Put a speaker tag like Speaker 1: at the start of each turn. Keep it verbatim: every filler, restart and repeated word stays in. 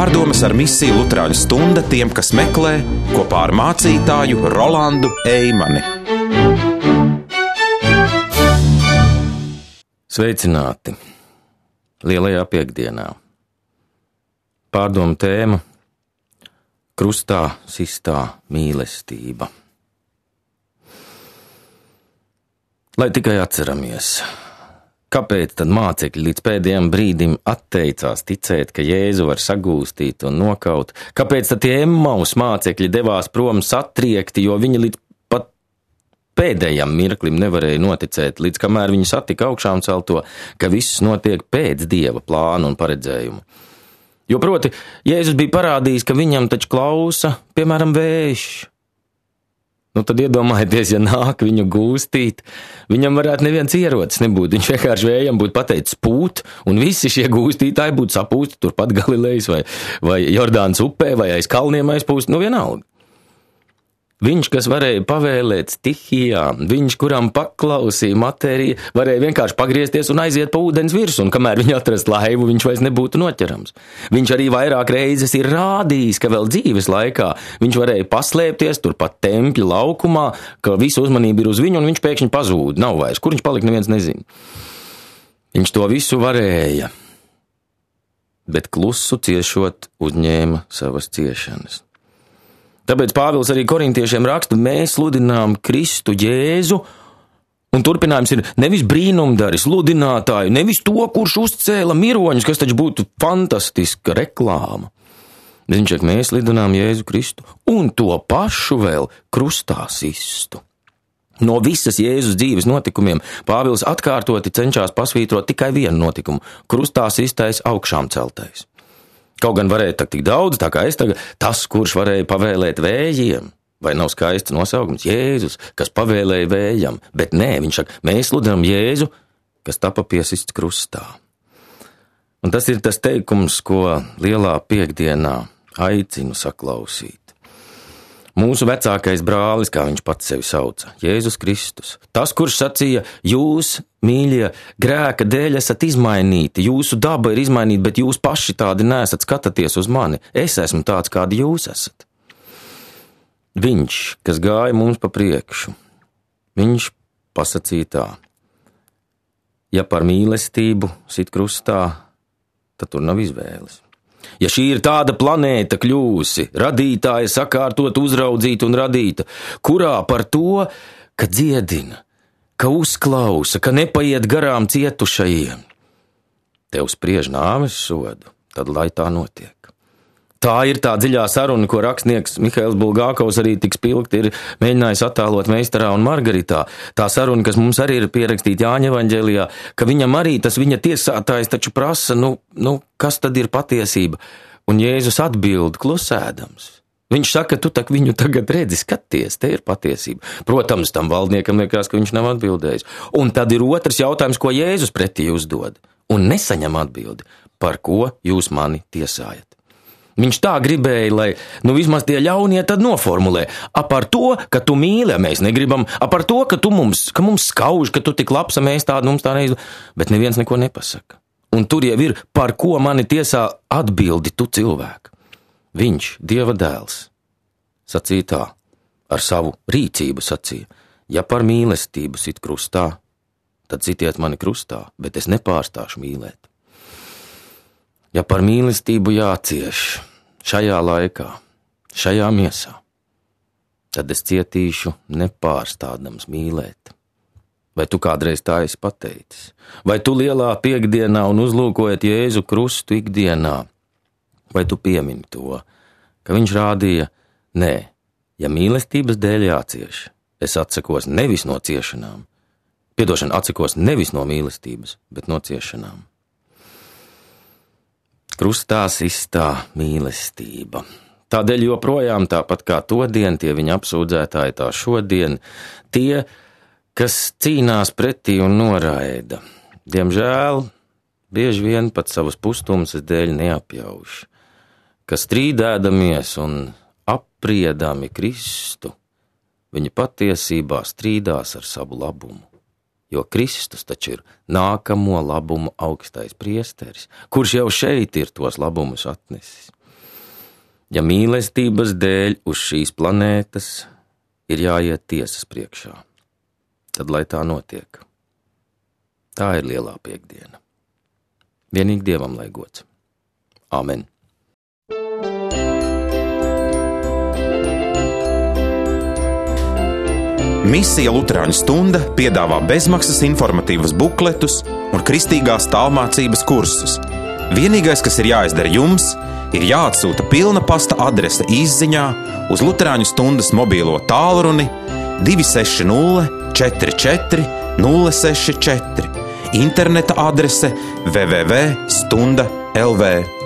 Speaker 1: Pārdomas ar misiju Luterāņu stunda tiem, kas meklē, kopā ar mācītāju Rolandu Eimani.
Speaker 2: Sveicināti lielajā piekdienā. Pārdomu tēma – krustā sistā mīlestība. Lai tikai atceramies, kāpēc tad mācekļi līdz pēdējiem brīdim atteicās ticēt, ka Jēzu var sagūstīt un nokaut? Kāpēc tad tie Emmaus mācekļi devās prom satriekti, jo viņi līdz pat pēdējam mirklim nevarēja noticēt, līdz kamēr viņi satika augšām celto, ka viss notiek pēc Dieva plāna un paredzējuma? Jo proti, Jēzus bija parādījis, ka viņam taču klausa, piemēram, vējš. Nu tad iedomājieties, ja nāk viņu gūstīt, viņam varētu neviens ierocis nebūt, viņš vienkārši vējam būtu pateicis pūt, un visi šie gūstītāji būtu sapūsti turpat Galilejas vai, vai Jordānas upē vai aiz kalniem aizpūst, nu vienalga. Viņš, kas varēja pavēlēt stihijām, viņš, kuram paklausīja matērija, varēja vienkārši pagriezties un aiziet pa ūdens virsu, un kamēr viņi atrast laivu, viņš vairs nebūtu noķerams. Viņš arī vairāk reizes ir rādījis, ka vēl dzīves laikā viņš varēja paslēpties turpat tempļa laukumā, ka visu uzmanību ir uz viņu, un viņš pēkšņi pazūd, nav vairs. Kur viņš palika, neviens nezina. Viņš to visu varēja, bet klusu ciešot uzņēma savas ciešanas. Tāpēc Pāvils arī korintiešiem raksta, mēs sludinām Kristu Jēzu, un turpinājums ir nevis brīnumdari, sludinātāju, nevis to, kurš uzcēla miroņus, kas taču būtu fantastiska reklāma. Viņš saka, mēs sludinām Jēzu Kristu, un to pašu vēl krustā sistu. No visas Jēzus dzīves notikumiem Pāvils atkārtoti cenšas pasvītrot tikai vienu notikumu – krustā sistais augšām celtais. Kaut gan varēja tak tik daudz, tā kā es tagad, tas, kurš varēja pavēlēt vējiem, vai nav skaists nosaukums, Jēzus, kas pavēlēja vējam, bet nē, viņš saka, mēs sludinām Jēzu, kas tapa piesists krustā. Un tas ir tas teikums, ko lielā piekdienā aicinu saklausīt. Mūsu vecākais brālis, kā viņš pats sevi sauca, Jēzus Kristus. Tas, kurš sacīja, jūs, mīļie, grēka dēļ esat izmainīti, jūsu daba ir izmainīta, bet jūs paši tādi neesat, skatāties uz mani. Es esmu tāds, kādi jūs esat. Viņš, kas gāja mums pa priekšu, viņš pasacīja tā. Ja par mīlestību sit krustā, tad tur nav izvēles. Ja šī ir tāda planēta kļūsi, radītāja sakārtot, uzraudzīta un radīta, kurā par to, ka dziedina, ka uzklausa, ka nepaiet garām cietušajiem, tev spriež nāves sodu, tad lai tā notiek. Tā ir tā dziļā saruna, ko rakstnieks Mihails Bulgākovs arī tik spilgti ir mēģinājis attēlot Meistarā un Margaritā. Tā saruna, kas mums arī ir pierakstīta Jāņa evaņģēlijā, ka viņam arī tas viņa tiesātājs taču prasa, nu, nu, kas tad ir patiesība? Un Jēzus atbild klusēdams. Viņš saka, tu tak viņu tagad redzi, skaties, te ir patiesība. Protams, tam valdniekam liekas, ka viņš nav atbildējis. Un tad ir otrs jautājums, ko Jēzus pretī uzdod. Un nesaņem atbildi, par ko jūs mani tiesājat. Viņš tā gribēja, lai, nu vismaz tie ļaunie tad noformulē. A par to, ka tu mīli, mēs negribam, a par to, ka tu mums, ka mums skauž, ka tu tik labs, mēs tādu mums tā neizdu, bet neviens neko nepasaka. Un tur jau ir, par ko mani tiesā atbildi tu cilvēku. Viņš, Dieva dēls, sacīja tā, ar savu rīcību sacīja, ja par mīlestību sit krustā, tad sitiet mani krustā, bet es nepārstāšu mīlēt. Ja par mīlestību jācieš šajā laikā, šajā miesā, tad es cietīšu nepārstādams mīlēt. Vai tu kādreiz tā esi pateicis? Vai tu lielā piekdienā un uzlūkojot Jēzu krustu ikdienā? Vai tu piemini to, ka viņš rādīja, nē, ja mīlestības dēļ jācieš, es atsakos nevis no ciešanām, piedošana atsakos nevis no mīlestības, bet no ciešanām. Krustā sistā mīlestība. Tādēļ joprojām tāpat kā todien, tie viņa apsūdzētāji tā šodien, tie, kas cīnās pretī un noraida. Diemžēl, bieži vien pat savas pustumsas dēļ neapjauš, ka strīdēdamies un apriedami Kristu, viņi patiesībā strīdās ar savu labumu. jo Kristus taču ir nākamo labumu augstais priesteris, kurš jau šeit ir tos labumus atnesis. Ja mīlestības dēļ uz šīs planētas ir jāiet tiesas priekšā, tad lai tā notiek. Tā ir lielā piekdiena. Vienīgi Dievam lai gods. Āmen.
Speaker 1: Misija Luterāņu stunda piedāvā bezmaksas informatīvas bukletus un kristīgās tālmācības kursus. Vienīgais, kas ir jāizdara jums, ir jāatsūta pilna pasta adrese īsziņā uz Luterāņu stundas mobīlo tālruni divi seši nulle četri četri nulle seši četri, interneta adrese w w w punkt stunda punkt l v.